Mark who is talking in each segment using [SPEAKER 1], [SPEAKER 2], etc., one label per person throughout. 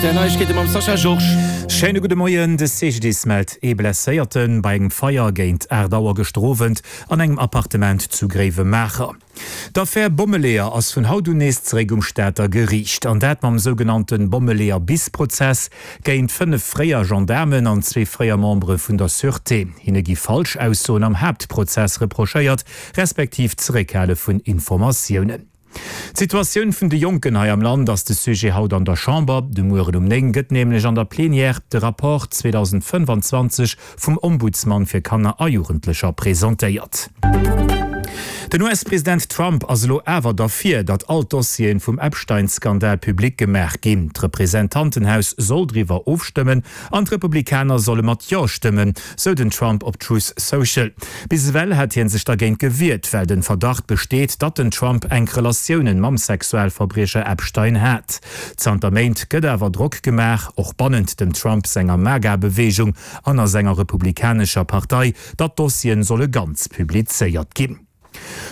[SPEAKER 1] Rtl Neiegkeete mam Sascha Georges.
[SPEAKER 2] Schéine gudde Moien. De CGDIS mellt ee Blesséierte bei engem Feier géint 8 Auer gëschter Owend an engem Appartement zu Gréiwemaacher. D'Affär Bommeleeër ass vun haut un nees zeréck um Stater Geriicht. An dat mam sougenannte Bommeleeër-bis-Prozess géint 5 fréier Gendaarmen an zwee fréier Membere vun der Sûreté. Hinne gi Falschaussoen am Haaptprozess reprochéiert, respektiv d'Zeréckhale vun Informatiounen. D'Situatioun vun de Jonken hei am Land ass de Sujet haut an der Chamber. De Mueren um 9 gëtt nämlech an der Plenière de Rapport 2025 vum Ombudsman fir Kanner a Jugendlecher presentéiert. Den US-President Trump ass elo awer derfir, datt all d'Dossieren vum Epstein-Skandal public gemaach ginn. D'Representantenhaus soll driwwer ofstëmmen an d'Republikaner solle mat Jo stëmmen, sou den Trump op Truth Social. Bis ewell hat hien sech dergéint gewiert, well den Verdacht besteet, datt den Trump enk Relatiounen mam Sexualverbriecher Epstein hat. Zanter Méint gëtt awer Drock gemaach, och bannent dem Trump senger MAGA-Beweegung an a senger republikanescher Partei, datt d'Dossieren solle ganz publizéiert ginn.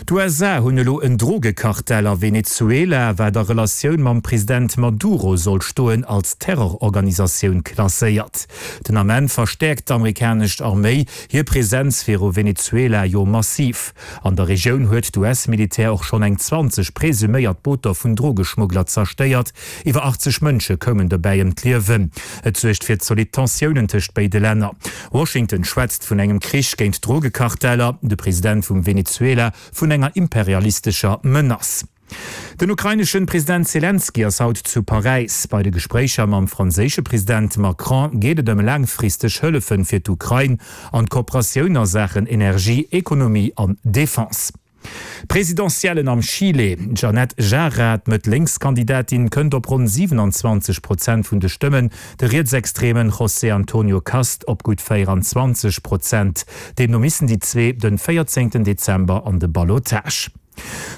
[SPEAKER 2] D'USA hunn elo en Drogekartell a Venezuela, wat a Relatioun mam President Maduro soll stoen, als Terrororganisatioun klasséiert. Den Ament verstäerkt d'amerikanesch Arméi hir Presenz viru Venezuela jo massiv. An der Regioun huet d'US-Militär och schonn eng 20 presuméiert Booter vun Drogeschmuggler zerstéiert. Iwwer 80 Mënsche koumen dobäi ëm d'Liewen. Et suergt fir zolidd Tensiounen tëscht béide Länner. Washington schwätzt vun engem Krich géint d'Drogekarteller, de President vum Venezuela vun enger imperialistescher Menace. Den ukraineschen President Selenskyj ass haut zu Paräis. Bei de Gespréicher mam franséische President Macron geet et ëm laangfristeg Hëllefen fir d'Ukrain an d'Kooperatioun a Saachen Energie, Ekonomie an Defense. Presidentiellen am Chile, D'Jeannette Jara, d'Mëtt-Lénks-Kandidatin, kënnt op ronn 27 Prozent vun de Stëmmen, de rietsextremen José Antonio Kast op gutt 24 Prozent. Deemno missen déi zwee den 14 Dezember an de Ballottage.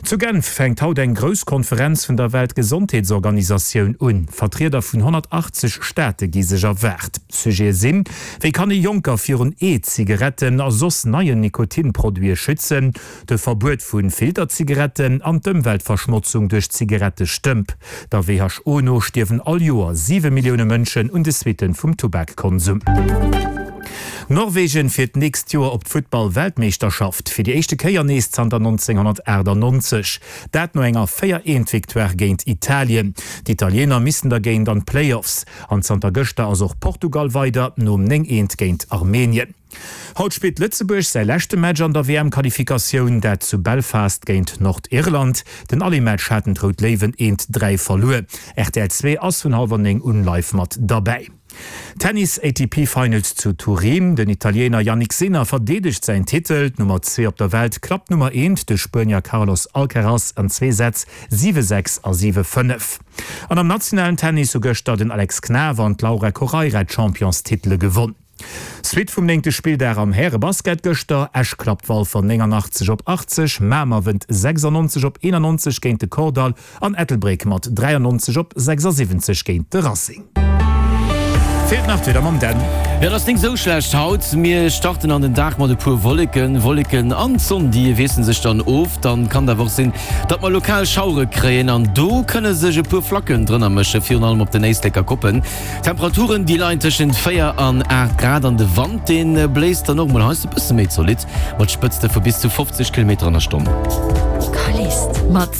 [SPEAKER 2] Zu Genf fänkt haut eng grouss Konferenz vun der Weltgesondheetsorganisatioun un. Vertrieder vun 180 Staate gi sech erwaart. Sujete sinn, Wéi kann ee Jonker virun E-Zigaretten a soss neien Nikotinproduite schützen, de Verbuet vu Filterzigaretten an d'Ëmweltverschmotzung duerch Zigarettestëmp. Der WHO no stierwen all Joer 7 Millioune Mënschen un de Suitte vum Tubakkonsum. Norwegen fir d'nächst Joer op d'Futtball-Weltmeeschterschaft, fir déi éischte Kéier nees zanter 1998. Dat no enger 4 eent Victoire géint Italien. D'Italiener missten dergéint an d'Playoffs. An zanter gëschter ass och Portugal weider, nom 9 eent géint Armenien. Haut spillt Lëtzebuerg säi leschte Match an der WM-Qualifikatioun, dat zu Belfast géint Nordirland. Den Aller-Match haten d'Rout Léiwen eent 3 verluer. Rtl 2 ass vun hallwer 9 un live mat derbäi. Tennis ATP Finals zu Turin, Den Italiener Jannik Sinner verdeedegt säin Titel. D'Nummer 2 op der Welt klappt d'Nummer 1, de Spuenier Carlos Alcaraz an zwee Sätz, 7, 6 a 7, 5. An am nationalen Tennis hu gëschter den Alex Knaff an d'Laura Correira d'Championstitele gewonn. Suite vum néngte Spilldag am Härebasket gëschter, Esch klappt Walfer 89 op 80, Mamer wënnt 96 op 91 géint de Kordall an Ettelbréck mat 93 op 76 géint de Racing. Feelt nach d'Wieder mam Dan.
[SPEAKER 1] Jo, et ass nik sou schlecht haut. Mir starten an den Dag mat e puer Wolleken. Wolleken an d'Sonn, déi wiessele sech dann of. Dann kann et awer och sinn, datt mer lokal Schauere kréien an do kënne sech e puer Flacken drënner mëschen, virun allem op den Éisleker Koppen. D'Temperaturen, déi leien tëschent 4 an 8 Grad an de Wand, dee bléist dann och mol heiansdo e bësse méi zolidd, mat Spëtzte vu bis zu 50 Kilometer an der Stonn.
[SPEAKER 3] Callist mat.